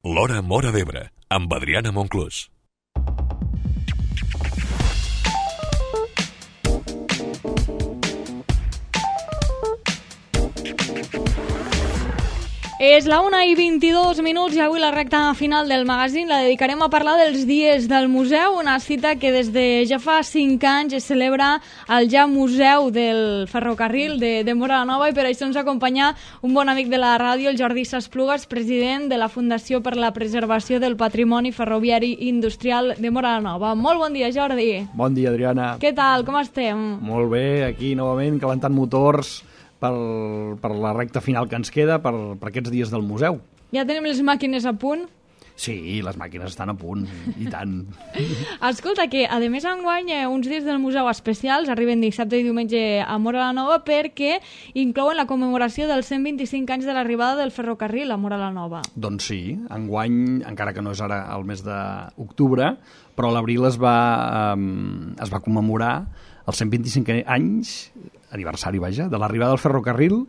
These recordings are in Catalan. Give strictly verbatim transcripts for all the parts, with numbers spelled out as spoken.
L'Hora Móra d'Ebre, amb Adriana Monclús. És la una i vint-i-dos minuts i avui la recta final del magazín la dedicarem a parlar dels dies del museu, una cita que des de ja fa cinc anys es celebra al ja Museu del Ferrocarril de, de Móra la Nova, i per això ens acompanya un bon amic de la ràdio, el Jordi Sasplugas, president de la Fundació per la Preservació del Patrimoni Ferroviari i Industrial de Móra la Nova. Molt bon dia, Jordi. Bon dia, Adriana. Què tal, com estem? Molt bé, aquí novament calentant motors per, per la recta final que ens queda per, per aquests dies del museu. Ja tenim les màquines a punt? Sí, les màquines estan a punt, i tant. Escolta, que a més enguany eh, uns dies del museu especials arriben dissabte i diumenge a Móra la Nova perquè inclouen la commemoració dels cent vint-i-cinc anys de l'arribada del ferrocarril a Móra la Nova. Doncs sí, enguany, encara que no és ara el mes d'octubre, però a l'abril es, va, um, es va commemorar els cent vint-i-cinc anys, aniversari, vaja, de l'arribada del ferrocarril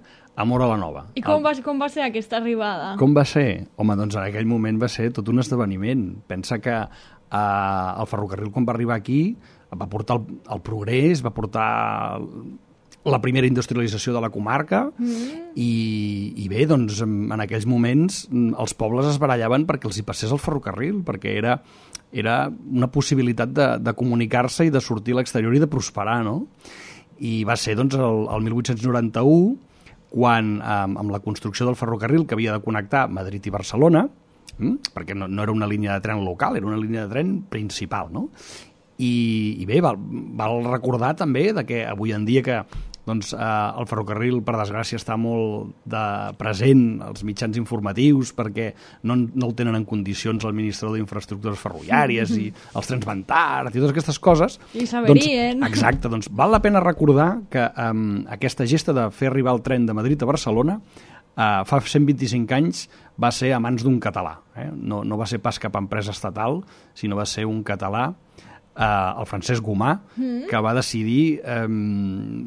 a Móra la Nova. I com va, com va ser aquesta arribada? Com va ser? Home, doncs en aquell moment va ser tot un esdeveniment. Pensa que eh, el ferrocarril, quan va arribar aquí, va portar el, el progrés, va portar la primera industrialització de la comarca, mm. i, i bé, doncs en aquells moments els pobles es barallaven perquè els hi passés el ferrocarril, perquè era, era una possibilitat de, de comunicar-se i de sortir a l'exterior i de prosperar, no? I va ser doncs el, el mil vuit-cents noranta-u quan, eh, amb la construcció del ferrocarril que havia de connectar Madrid i Barcelona, hm? perquè no, no era una línia de tren local, era una línia de tren principal, no? I, i bé, val, val recordar també de que avui en dia que doncs, eh, el ferrocarril, per desgràcia, està molt de present als mitjans informatius perquè no, no el tenen en condicions el Ministeri d'Infraestructures Ferroviàries i els trens van tard i totes aquestes coses. I saberien. Doncs, exacte, doncs val la pena recordar que eh, aquesta gesta de fer arribar el tren de Madrid a Barcelona eh, fa cent vint-i-cinc anys va ser a mans d'un català. Eh? No, no va ser pas cap empresa estatal, sinó va ser un català, Uh, el Francesc Gomà, mm. que va decidir um,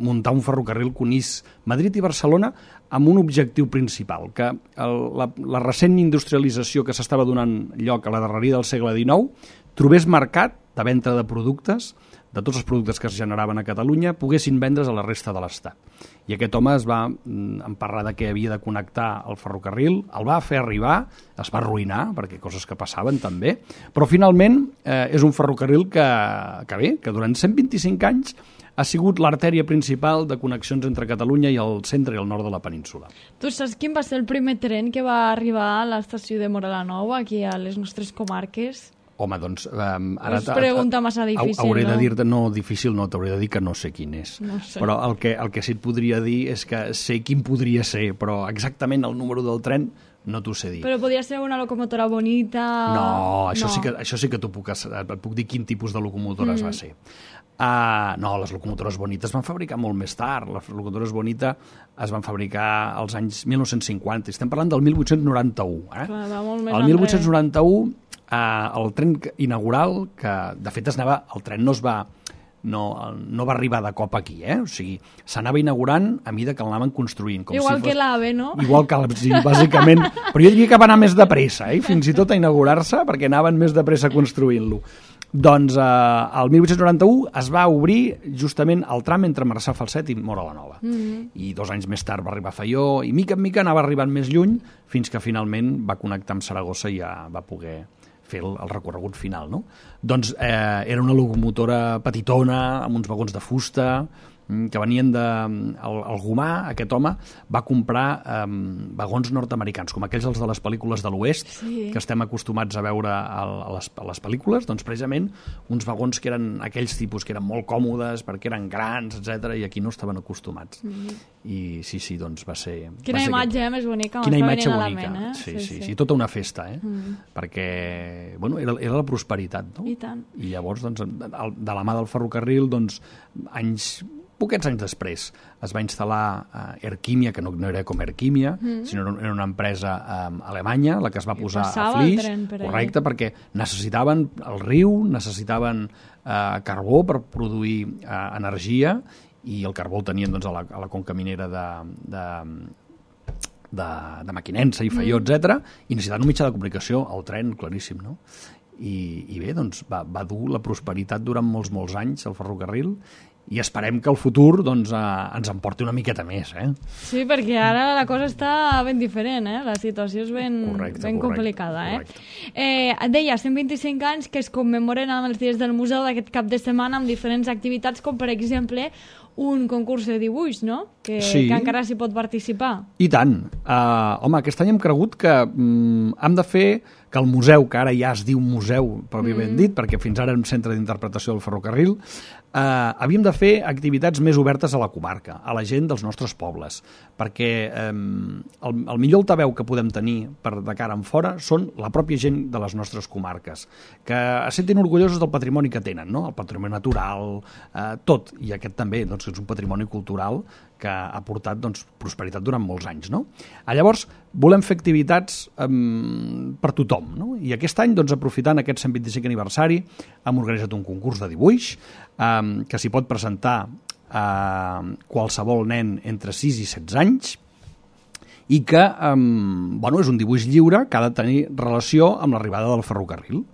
muntar un ferrocarril que unís Madrid i Barcelona amb un objectiu principal, que el, la, la recent industrialització que s'estava donant lloc a la darreria del segle dinou trobés mercat de venda de productes, de tots els productes que es generaven a Catalunya, poguessin vendre's a la resta de l'Estat. I aquest home es va emparrar de que havia de connectar el ferrocarril, el va fer arribar, es va arruïnar, perquè coses que passaven també, però finalment eh, és un ferrocarril que, que bé, que durant cent vint-i-cinc anys ha sigut l'artèria principal de connexions entre Catalunya i el centre i el nord de la península. Tu saps quin va ser el primer tren que va arribar a l'estació de Móra la Nova, aquí a les nostres comarques? Home, doncs... Um, ara és pregunta massa difícil, hauré no? de dir-te, no, difícil no, t'hauré de dir que no sé quin és. No sé. Però el que, el que sí et podria dir és que sé quin podria ser, però exactament el número del tren no t'ho sé dir. Però podria ser una locomotora bonita... No, això, no. Sí, que, això sí que t'ho puc, et puc dir quin tipus de locomotores mm. va ser. Uh, no, les locomotores bonites es van fabricar molt més tard. Les locomotores bonites es van fabricar als anys mil nou-cents cinquanta. Estem parlant del mil vuit-cents noranta-u. Eh? Clar, va molt més el mil vuit-cents noranta-u, uh, el tren inaugural, que de fet es anava, el tren no es va... No, no va arribar de cop aquí, eh? O sigui, s'anava inaugurant a mida que l'anaven construint. Com Igual si fos... que l'AVE, no? Igual que l'AVE, sí, bàsicament. Però jo diria que va anar més de pressa, eh? Fins i tot a inaugurar-se, perquè anaven més de pressa construint-lo. Doncs eh, el mil vuit-cents noranta-u es va obrir justament el tram entre Marçà Falset i Móra la Nova. Mm-hmm. I dos anys més tard va arribar a Faió, i mica en mica anava arribant més lluny, fins que finalment va connectar amb Saragossa i ja va poder fer el, el recorregut final, no? Doncs eh, era una locomotora petitona, amb uns vagons de fusta, que venien de... El, el Gomà, aquest home, va comprar eh, vagons nord-americans, com aquells dels de les pel·lícules de l'Oest, sí. que estem acostumats a veure a, a, les, a les pel·lícules, doncs precisament uns vagons que eren aquells tipus que eren molt còmodes, perquè eren grans, etcètera, i aquí no estaven acostumats. Mm-hmm. I sí, sí, doncs va ser... Quina va ser imatge, que... eh, més bonica, Quina m'està imatge venint bonica. a la ment, eh? Sí, sí, sí, sí, sí, tota una festa, eh? Mm. Perquè, bueno, era, era la prosperitat, no? I tant. I llavors, doncs, de la mà del ferrocarril, doncs, anys... Poquets anys després es va instal·lar uh, Erquímia, que no, no era com Erquímia, mm. sinó era una empresa um, alemanya, la que es va I posar a Flix, per correcte, allà. Perquè necessitaven el riu, necessitaven uh, carbó per produir uh, energia, i el carbó el tenien doncs, a, la, a la conca minera de, de, de, de Mequinensa i Faió, mm. etcètera, i necessitaven un mitjà de comunicació, el tren, claríssim, no? I, i bé, doncs va, va dur la prosperitat durant molts, molts anys el ferrocarril, i esperem que el futur doncs, eh, ens en porti una miqueta més. Eh? Sí, perquè ara la cosa està ben diferent, eh? La situació és ben, correcte, ben correcte, complicada. correcte. Eh? Eh, deia, cent vint-i-cinc anys que es commemoren amb els dies del museu d'aquest cap de setmana amb diferents activitats, com per exemple un concurs de dibuix, no? Que, sí. que encara s'hi pot participar. I tant. Uh, home, aquest any hem cregut que um, hem de fer que el museu, que ara ja es diu museu, pròpiament mm. dit, perquè fins ara era un centre d'interpretació del ferrocarril, uh, havíem de fer activitats més obertes a la comarca, a la gent dels nostres pobles, perquè um, el, el millor altaveu que podem tenir per de cara en fora són la pròpia gent de les nostres comarques, que es sentin orgullosos del patrimoni que tenen, no? El patrimoni natural, uh, tot, i aquest també, doncs, és un patrimoni cultural que ha portat doncs, prosperitat durant molts anys. No? Llavors, volem fer activitats um, per tothom. No? I aquest any, doncs, aprofitant aquest cent vint-i-cinquè aniversari, hem organitzat un concurs de dibuix um, que s'hi pot presentar uh, qualsevol nen entre sis i setze anys i que um, bueno, és un dibuix lliure que ha de tenir relació amb l'arribada del ferrocarril.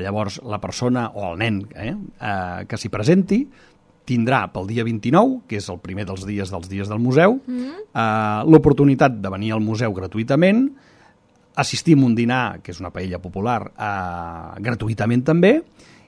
Llavors, la persona o el nen eh, uh, que s'hi presenti tindrà pel dia vint-i-nou, que és el primer dels dies dels dies del museu, mm. eh, l'oportunitat de venir al museu gratuïtament, assistir a un dinar, que és una paella popular, eh, gratuïtament també,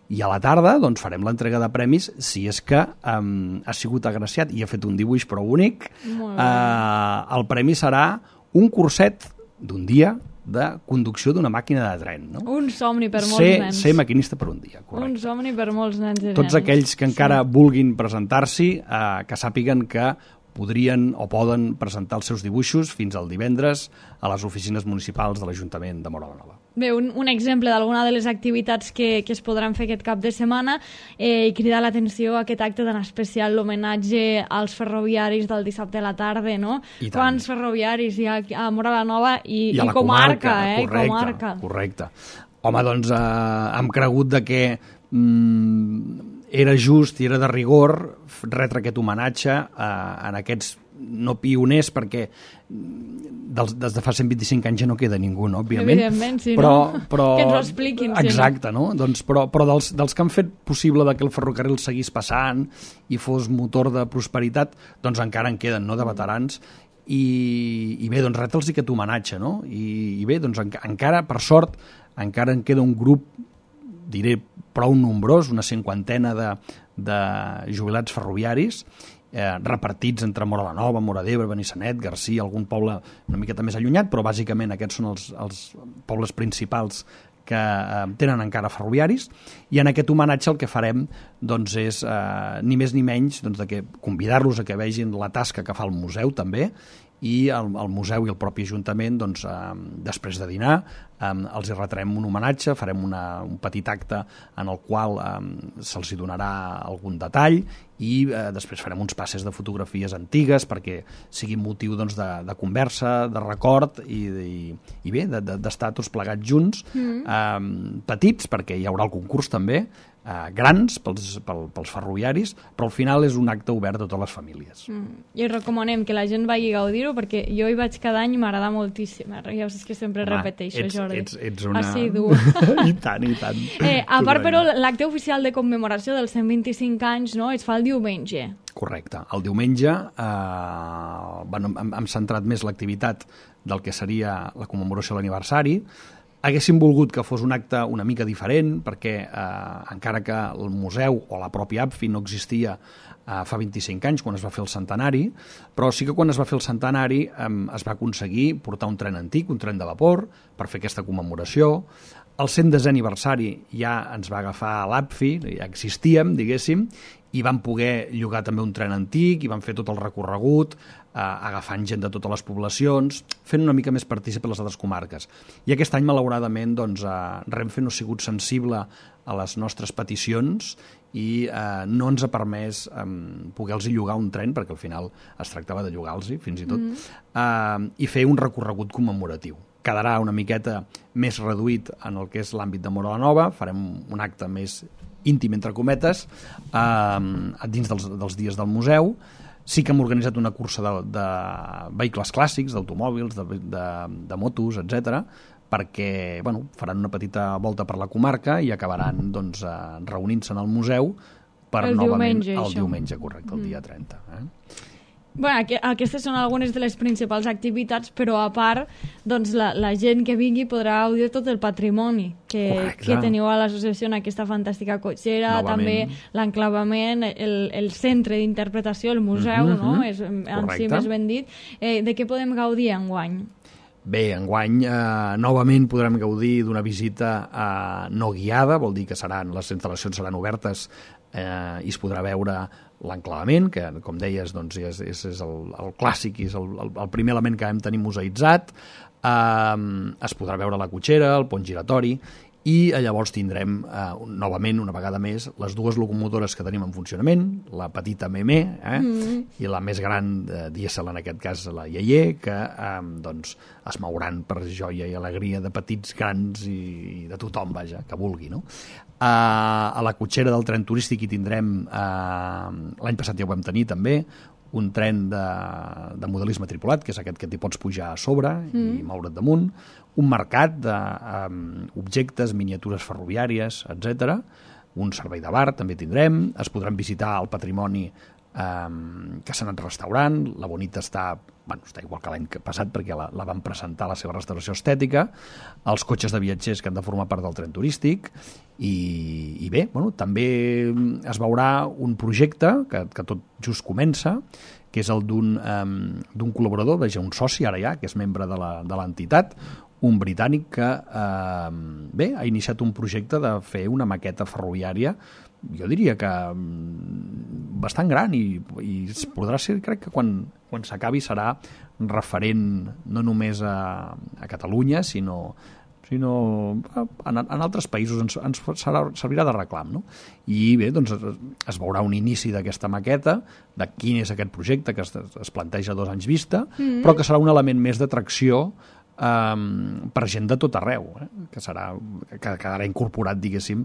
i a la tarda doncs, farem l'entrega de premis si és que eh, ha sigut agraciat i ha fet un dibuix prou bonic. Eh, el premi serà un curset d'un dia de conducció d'una màquina de tren. No? Un somni per molts ser, nens. Ser maquinista per un dia, correcte. Un somni per molts nens i nenes. Tots aquells que encara sí. vulguin presentar-s'hi, eh, que sàpiguen que podrien o poden presentar els seus dibuixos fins al divendres a les oficines municipals de l'Ajuntament de Móra la Nova. Bé, un, un exemple d'alguna de les activitats que, que es podran fer aquest cap de setmana eh, i cridar l'atenció a aquest acte tan especial, l'homenatge als ferroviaris del dissabte a la tarda, no? Quants ferroviaris hi ha a Móra la Nova i, I, i comarca, eh? Correcte, I comarca. correcte. Home, doncs eh, hem cregut de que mm, era just i era de rigor retre aquest homenatge eh, en aquests no pioners, perquè dels, des de fa cent vint-i-cinc anys ja no queda ningú, no? Òbviament. Evidentment, sí, però, no? però, que ens ho expliquin. Exacte, sí, no? Doncs, però però dels, dels que han fet possible de que el ferrocarril seguís passant i fos motor de prosperitat, doncs encara en queden, no?, de veterans. I, i bé, doncs retre'ls aquest homenatge, no? I, i bé, doncs en, encara, per sort, encara en queda un grup, diré, prou nombrós, una cinquantena de, de jubilats ferroviaris, eh, repartits entre Móra la Nova, Móra d'Ebre, Benissanet, Garcia, algun poble una miqueta més allunyat, però bàsicament aquests són els, els pobles principals que eh, tenen encara ferroviaris, i en aquest homenatge el que farem doncs, és eh, ni més ni menys doncs, de que convidar-los a que vegin la tasca que fa el museu també, i el, el museu i el propi Ajuntament, doncs, eh, després de dinar, eh, els hi retrem un homenatge, farem una, un petit acte en el qual eh, se'ls donarà algun detall i eh, després farem uns passes de fotografies antigues perquè sigui motiu doncs, de, de conversa, de record i, i, i bé, d'estar de, de, tots plegats junts, mm. eh, petits, perquè hi haurà el concurs també, Uh, grans pels, pel, pels ferroviaris, però al final és un acte obert a totes les famílies. Mm. I recomanem que la gent vagi a gaudir-ho, perquè jo hi vaig cada any i m'agrada moltíssim. Ja saps que sempre Home, repeteixo, ets, Jordi. Ets, ets una... Assidu. I tant, i tant. Eh, a part, però, l'acte oficial de commemoració dels cent vint-i-cinc anys, no?, es fa el diumenge. Correcte. El diumenge eh, bueno, hem, hem centrat més l'activitat del que seria la commemoració de l'aniversari. Haguéssim volgut que fos un acte una mica diferent, perquè eh, encara que el museu o la pròpia A P F I no existia eh, fa vint-i-cinc anys, quan es va fer el centenari, però sí que quan es va fer el centenari eh, es va aconseguir portar un tren antic, un tren de vapor, per fer aquesta commemoració. El cent desè aniversari ja ens va agafar a l'A P F I, ja existíem, diguéssim, i vam poder llogar també un tren antic, i vam fer tot el recorregut, eh, agafant gent de totes les poblacions, fent una mica més partícip a les altres comarques. I aquest any, malauradament, doncs, eh, Renfe no ha sigut sensible a les nostres peticions i eh, no ens ha permès eh, poder-los llogar un tren, perquè al final es tractava de llogar-los, fins i tot, mm. eh, i fer un recorregut commemoratiu. Quedarà una miqueta més reduït en el que és l'àmbit de Móra la Nova, farem un acte més íntim, entre cometes, eh, dins dels, dels dies del museu, Sí que hem organitzat una cursa de, de vehicles clàssics, d'automòbils, de, de, de motos, etcètera, perquè bueno, faran una petita volta per la comarca i acabaran doncs, reunint-se en el museu per el novament diumenge, el això. diumenge, correcte, el mm. dia trenta. Eh? Bueno, aquestes són algunes de les principals activitats, però a part, doncs, la, la gent que vingui podrà gaudir tot el patrimoni que, que teniu a l'associació en aquesta fantàstica cotxera, novament. També l'enclavament, el, el centre d'interpretació, el museu, mm-hmm. no? És, en si més ben dit. Eh, de què podem gaudir enguany? Bé, enguany eh, novament podrem gaudir d'una visita eh, no guiada, vol dir que seran, les instal·lacions seran obertes eh, i es podrà veure l'enclavament, que com deies doncs, és, és, és el, el clàssic, és el, el, el primer element que vam tenir museïtzat, eh, es podrà veure la cotxera, el pont giratori, i llavors tindrem eh, novament, una vegada més, les dues locomotores que tenim en funcionament, la petita Meme eh, mm. i la més gran eh, dièsel, en aquest cas la Yeye, que eh, doncs, es mouran per joia i alegria de petits, grans i, i de tothom, vaja, que vulgui, no? Eh, a la cotxera del tren turístic hi tindrem, eh, l'any passat ja ho vam tenir també, un tren de, de modelisme tripulat, que és aquest que t'hi pots pujar a sobre mm. i moure't damunt, un mercat d'objectes, um, miniatures ferroviàries, etcètera, un servei de bar també tindrem, es podran visitar el patrimoni um, que s'ha anat restaurant, la Bonita està, bueno, està igual que l'any passat perquè la, la van presentar la seva restauració estètica, els cotxes de viatgers que han de formar part del tren turístic, i, i bé, bueno, també es veurà un projecte que, que tot just comença, que és el d'un um, d'un col·laborador, veja, un soci ara ja, que és membre de la, de l'entitat, un britànic que eh, bé, ha iniciat un projecte de fer una maqueta ferroviària, jo diria que bastant gran, i, i podrà ser, crec que quan, quan s'acabi serà referent no només a, a Catalunya, sinó, sinó en, en altres països ens, ens serà, servirà de reclam, no? I bé, doncs es, es veurà un inici d'aquesta maqueta, de quin és aquest projecte que es, es planteja a dos anys vista, mm-hmm. però que serà un element més d'atracció Um, per gent de tot arreu, eh? que serà que quedarà incorporat, diguéssim,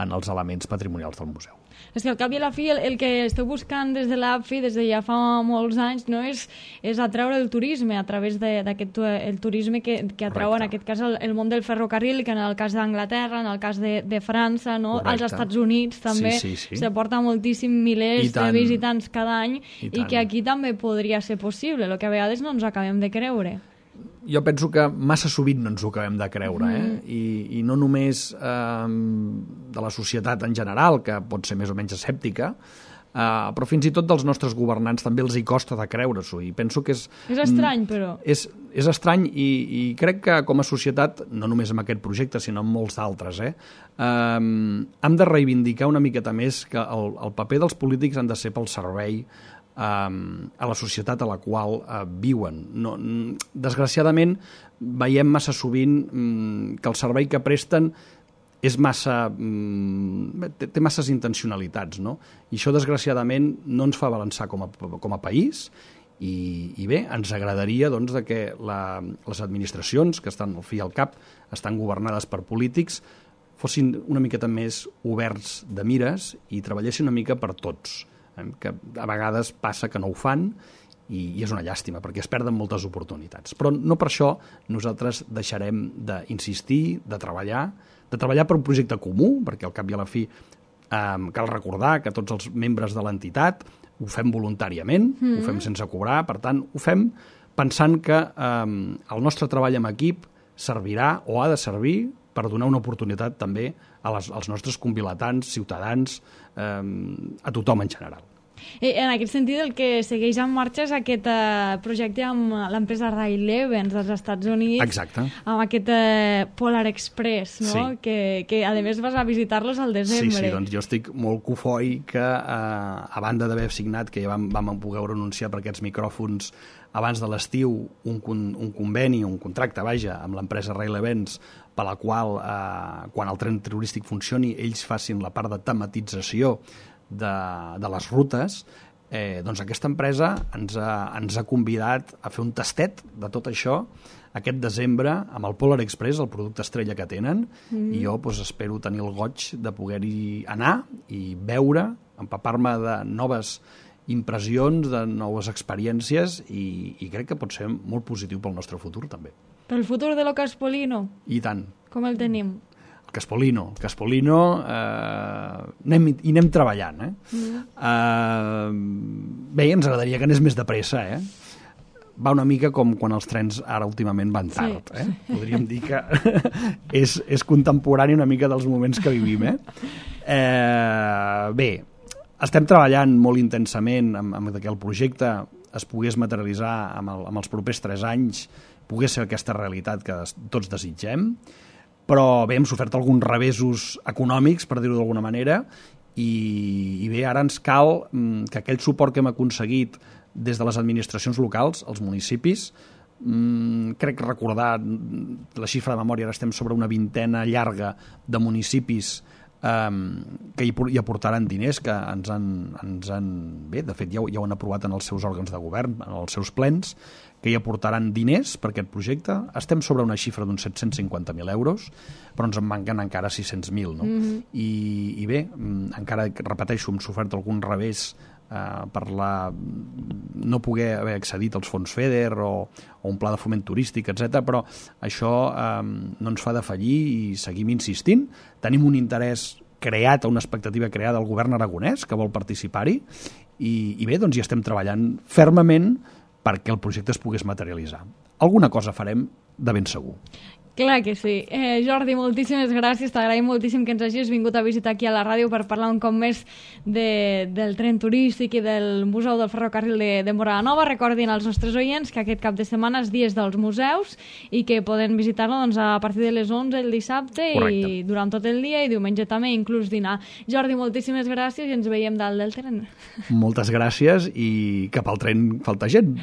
en els elements patrimonials del museu. És que al cap i a la fi el, el que esteu buscant des de l'A P F I, des de ja fa molts anys, no és, és atraure el turisme a través d'aquest el turisme que, que atrau Correcte. En aquest cas el, el món del ferrocarril, que en el cas d'Anglaterra, en el cas de, de França, no? Als Estats Units també sí, sí, sí. s'aporta moltíssim milers de visitants cada any, i, i que aquí també podria ser possible, el que a vegades no ens acabem de creure. Jo penso que massa sovint no ens ho acabem de creure, eh? Mm. I, i no només eh, de la societat en general, que pot ser més o menys escèptica, eh, però fins i tot dels nostres governants també els hi costa de creure-s'ho, i penso que és... És estrany, però. És, és estrany, i, i crec que com a societat, no només amb aquest projecte, sinó amb molts d'altres, eh, eh, hem de reivindicar una miqueta més que el, el paper dels polítics han de ser pel servei a la societat a la qual uh, viuen. No, desgraciadament, veiem massa sovint um, que el servei que presten és massa, um, té, té masses intencionalitats, no? I això, desgraciadament, no ens fa avançar com a, com a país, i, i bé, ens agradaria doncs, de que la, les administracions, que estan al fi al cap, estan governades per polítics, fossin una miqueta més oberts de mires i treballessin una mica per tots, que a vegades passa que no ho fan, i, i és una llàstima, perquè es perden moltes oportunitats. Però no per això nosaltres deixarem d'insistir, de treballar, de treballar per un projecte comú, perquè al cap i a la fi eh, cal recordar que tots els membres de l'entitat ho fem voluntàriament, mm. ho fem sense cobrar, per tant, ho fem pensant que eh, el nostre treball en equip servirà o ha de servir per donar una oportunitat també a les, als nostres convilatants, ciutadans, eh, a tothom en general. I en aquest sentit, el que segueix en marxa és aquest eh, projecte amb l'empresa Rail-Evans dels Estats Units. Exacte. Amb aquest eh, Polar Express, no? Sí. Que, que a més vas a visitar-los al desembre. Sí, sí, doncs jo estic molt cofoi que, eh, a banda d'haver signat, que ja vam, vam poder anunciar per aquests micròfons abans de l'estiu, un, un conveni, un contracte, vaja, amb l'empresa Rail-Evans, per la qual, eh, quan el tren turístic funcioni, ells facin la part de tematització de, de les rutes, eh, doncs aquesta empresa ens ha, ens ha convidat a fer un tastet de tot això aquest desembre amb el Polar Express, el producte estrella que tenen, mm. i jo doncs, espero tenir el goig de poder-hi anar i veure, empapar-me de noves impressions, de noves experiències i, i crec que pot ser molt positiu pel nostre futur també. Pel futur de lo Caspolino? I tant. Com el tenim? El Caspolino. El Caspolino eh, anem, hi anem treballant. Eh? Mm. Eh, bé, ens agradaria que anés més de pressa, eh? Va una mica com quan els trens ara últimament van tard. Sí. Eh? Podríem dir que és, és contemporani una mica dels moments que vivim. Eh? Eh, bé, estem treballant molt intensament amb, amb que el projecte es pogués materialitzar amb, el, amb els propers tres anys, pogués ser aquesta realitat que tots desitgem, però bé, hem sofert alguns revesos econòmics, per dir-ho d'alguna manera, i, i bé, ara ens cal que aquell suport que hem aconseguit des de les administracions locals, els municipis, mmm, crec recordar la xifra de memòria, ara estem sobre una vintena llarga de municipis eh, que hi, hi aportaran diners, que ens han, ens han bé, de fet ja ho, ja ho han aprovat en els seus òrgans de govern, en els seus plens, que hi aportaran diners per aquest projecte. Estem sobre una xifra d'uns set-cents cinquanta mil euros, però ens en manquen encara sis-cents mil. No? Mm-hmm. I, I bé, encara, repeteixo, hem sofert algun revés Uh, per la, no poder haver accedit als fons FEDER o, o un pla de foment turístic, etcètera, però això um, no ens fa defallir i seguim insistint. Tenim un interès creat, una expectativa creada al govern aragonès que vol participar-hi i, i bé, doncs hi estem treballant fermament perquè el projecte es pogués materialitzar. Alguna cosa farem de ben segur. Clar que sí. Eh, Jordi, moltíssimes gràcies. T'agraïm moltíssim que ens hagis vingut a visitar aquí a la ràdio per parlar un cop més de, del tren turístic i del Museu del Ferrocarril de, de Móra la Nova. Recordin als nostres oients que aquest cap de setmana és dies dels museus i que poden visitar-lo doncs, a partir de les onze el dissabte. Correcte. I durant tot el dia i diumenge també, inclús dinar. Jordi, moltíssimes gràcies i ens veiem dalt del tren. Moltes gràcies i cap al tren falta gent.